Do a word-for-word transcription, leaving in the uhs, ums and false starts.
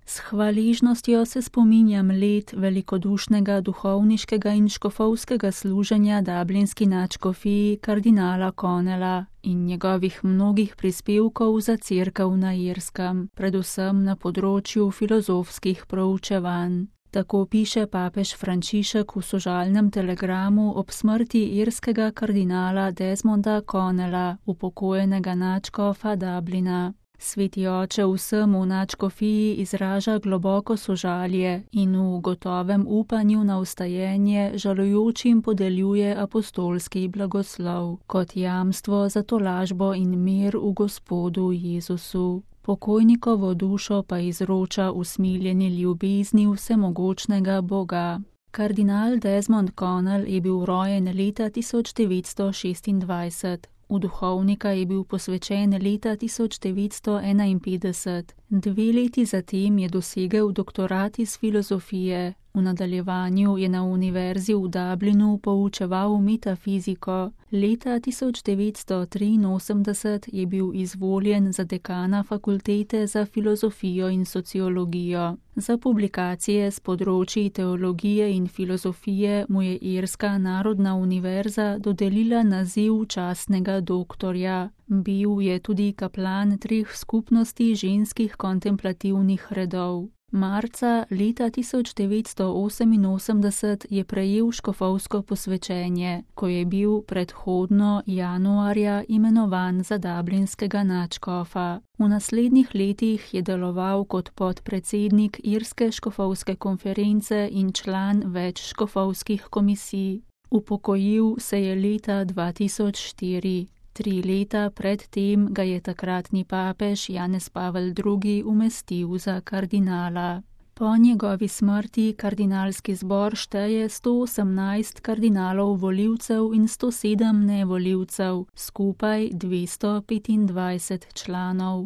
S hvaležnostjo se spominjam let velikodušnega duhovniškega in škofovskega služenja dublinski nadškofiji kardinala Connella in njegovih mnogih prispevkov za cerkev na Irskem, predvsem na področju filozofskih proučevanj. Tako piše papež Frančišek v sožalnem telegramu ob smrti irskega kardinala Desmonda Connella, upokojenega nadškofa Dublina. Sveti oče vsemu v nadškofiji izraža globoko sožalje in v gotovem upanju na vstajenje žalujočim podeljuje apostolski blagoslov kot jamstvo za tolažbo in mir v Gospodu Jezusu. Pokojnikovo dušo pa izroča usmiljeni ljubezni vsemogočnega Boga. Kardinal Desmond Connell je bil rojen leta tisoč devetsto šestindvajset. V duhovnika je bil posvečen leta tisoč devetsto enainpetdeset. Dve leti zatem je dosegel doktorat iz filozofije. V nadaljevanju je na univerzi v Dublinu poučeval metafiziko. Leta tisoč devetsto triinosemdeset je bil izvoljen za dekana fakultete za filozofijo in sociologijo. Za publikacije s področji teologije in filozofije mu je Irska narodna univerza dodelila naziv častnega doktorja. Bil je tudi kaplan treh skupnosti ženskih kontemplativnih redov. Marca leta tisoč devetsto oseminosemdeset je prejel škofovsko posvečenje, ko je bil predhodno januarja imenovan za dublinskega nadškofa. V naslednjih letih je deloval kot podpredsednik Irske škofovske konference in član več škofovskih komisij. Upokojil se je leta dva tisoč štiri. Tri leta pred tem ga je takratni papež Janez Pavel drugi umestil za kardinala. Po njegovi smrti kardinalski zbor šteje sto osemnajst kardinalov volivcev in sto sedem nevolivcev, skupaj dvesto petindvajset članov.